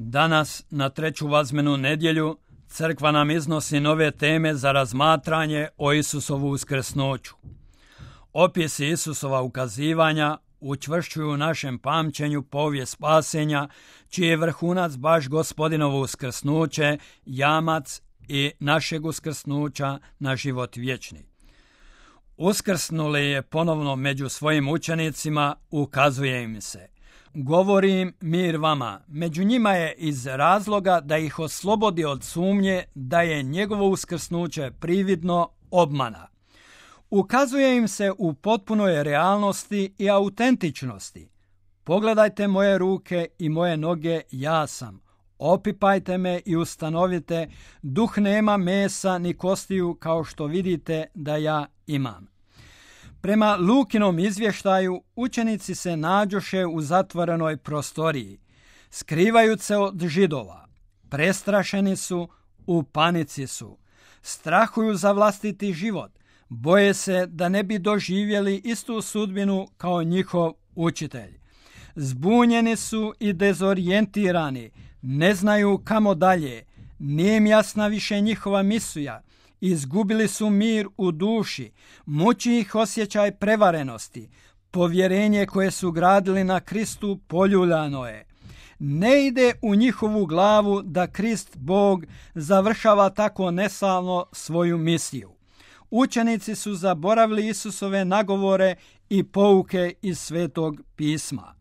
Danas, na treću vazmenu nedjelju, crkva nam iznosi nove teme za razmatranje o Isusovu uskrsnuću. Opisi Isusova ukazivanja učvršćuju u našem pamćenju povijest spasenja, čiji je vrhunac baš Gospodinovo uskrsnuće, jamac i našeg uskrsnuća na život vječni. Uskrsnuli je ponovno među svojim učenicima, ukazuje im se: govorim mir vama. Među njima je iz razloga da ih oslobodi od sumnje da je njegovo uskrsnuće prividno, obmana. Ukazuje im se u potpunoj realnosti i autentičnosti. Pogledajte moje ruke i moje noge, ja sam. Opipajte me i ustanovite, duh nema mesa ni kostiju kao što vidite da ja imam. Prema Lukinom izvještaju, učenici se nađoše u zatvorenoj prostoriji. Skrivaju se od Židova. Prestrašeni su, u panici su. Strahuju za vlastiti život. Boje se da ne bi doživjeli istu sudbinu kao njihov učitelj. Zbunjeni su i dezorijentirani. Ne znaju kamo dalje. Nije im jasna više njihova misija. Izgubili su mir u duši, muči ih osjećaj prevarenosti, povjerenje koje su gradili na Kristu poljuljano je. Ne ide u njihovu glavu da Krist Bog završava tako neslavno svoju misiju. Učenici su zaboravili Isusove nagovore i pouke iz Svetog pisma.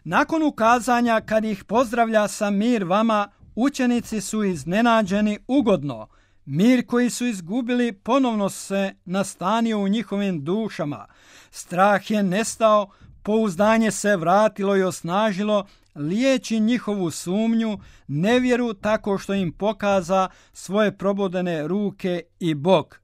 Nakon ukazanja, kad ih pozdravlja sa mir vama, učenici su iznenađeni ugodno. Mir koji su izgubili ponovno se nastanio u njihovim dušama. Strah je nestao, pouzdanje se vratilo i osnažilo, liječi njihovu sumnju, nevjeru tako što im pokaza svoje probodene ruke i bok.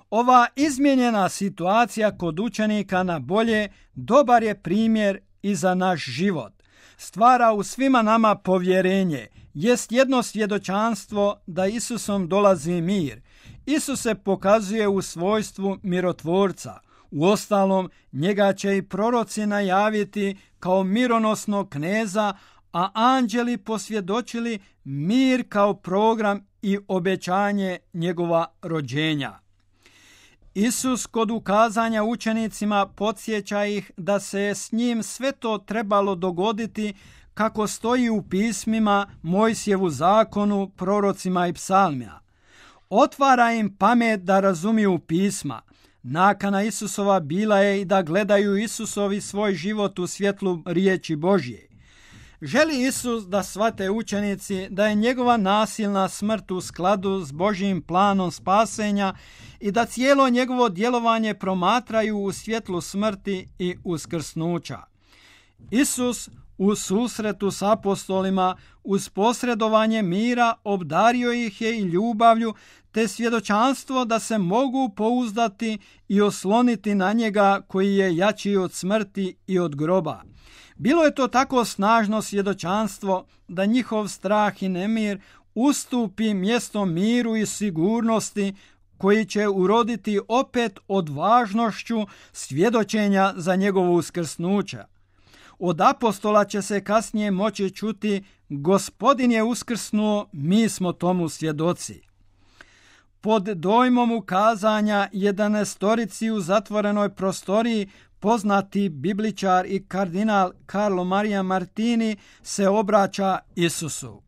Ova izmijenjena situacija kod učenika na bolje dobar je primjer i za naš život. Stvara u svima nama povjerenje, jest jedno svjedočanstvo da Isusom dolazi mir. Isus se pokazuje u svojstvu mirotvorca. Uostalom, njega će i proroci najaviti kao mironosnog kneza, a anđeli posvjedočili mir kao program i obećanje njegova rođenja. Isus kod ukazanja učenicima podsjeća ih da se s njim sve to trebalo dogoditi kako stoji u pismima, Mojsijevu zakonu, prorocima i psalmima. Otvara im pamet da razumiju pisma. Nakana Isusova bila je i da gledaju Isusovi svoj život u svjetlu riječi Božje. Želi Isus da shvate učenici da je njegova nasilna smrt u skladu s Božjim planom spasenja i da cijelo njegovo djelovanje promatraju u svjetlu smrti i uskrsnuća. Isus u susretu s apostolima uz posredovanje mira obdario ih je i ljubavlju te svjedočanstvo da se mogu pouzdati i osloniti na njega koji je jači od smrti i od groba. Bilo je to tako snažno svjedočanstvo da njihov strah i nemir ustupi mjesto miru i sigurnosti koji će uroditi opet odvažnošću svjedočenja za njegovo uskrsnuće. Od apostola će se kasnije moći čuti: Gospodin je uskrsnuo, mi smo tomu svjedoci. Pod dojmom ukazanja 11 u zatvorenoj prostoriji poznati bibličar i kardinal Carlo Maria Martini se obraća Isusu.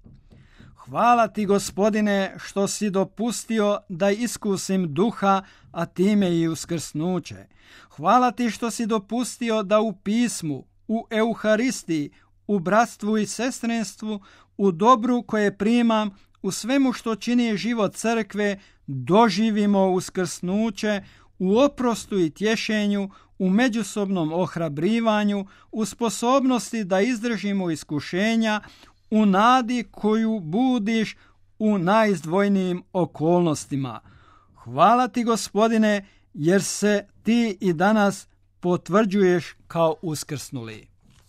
Hvala ti, Gospodine, što si dopustio da iskusim duha, a time i uskrsnuće. Hvala ti što si dopustio da u pismu, u Euharistiji, u bratstvu i sestrinstvu, u dobru koje primam, u svemu što čini život crkve, doživimo uskrsnuće, u oprostu i tješenju, u međusobnom ohrabrivanju, u sposobnosti da izdržimo iskušenja, u nadi koju budiš u najizdvojnijim okolnostima. Hvala ti, Gospodine, jer se ti i danas potvrđuješ kao uskrsnuli.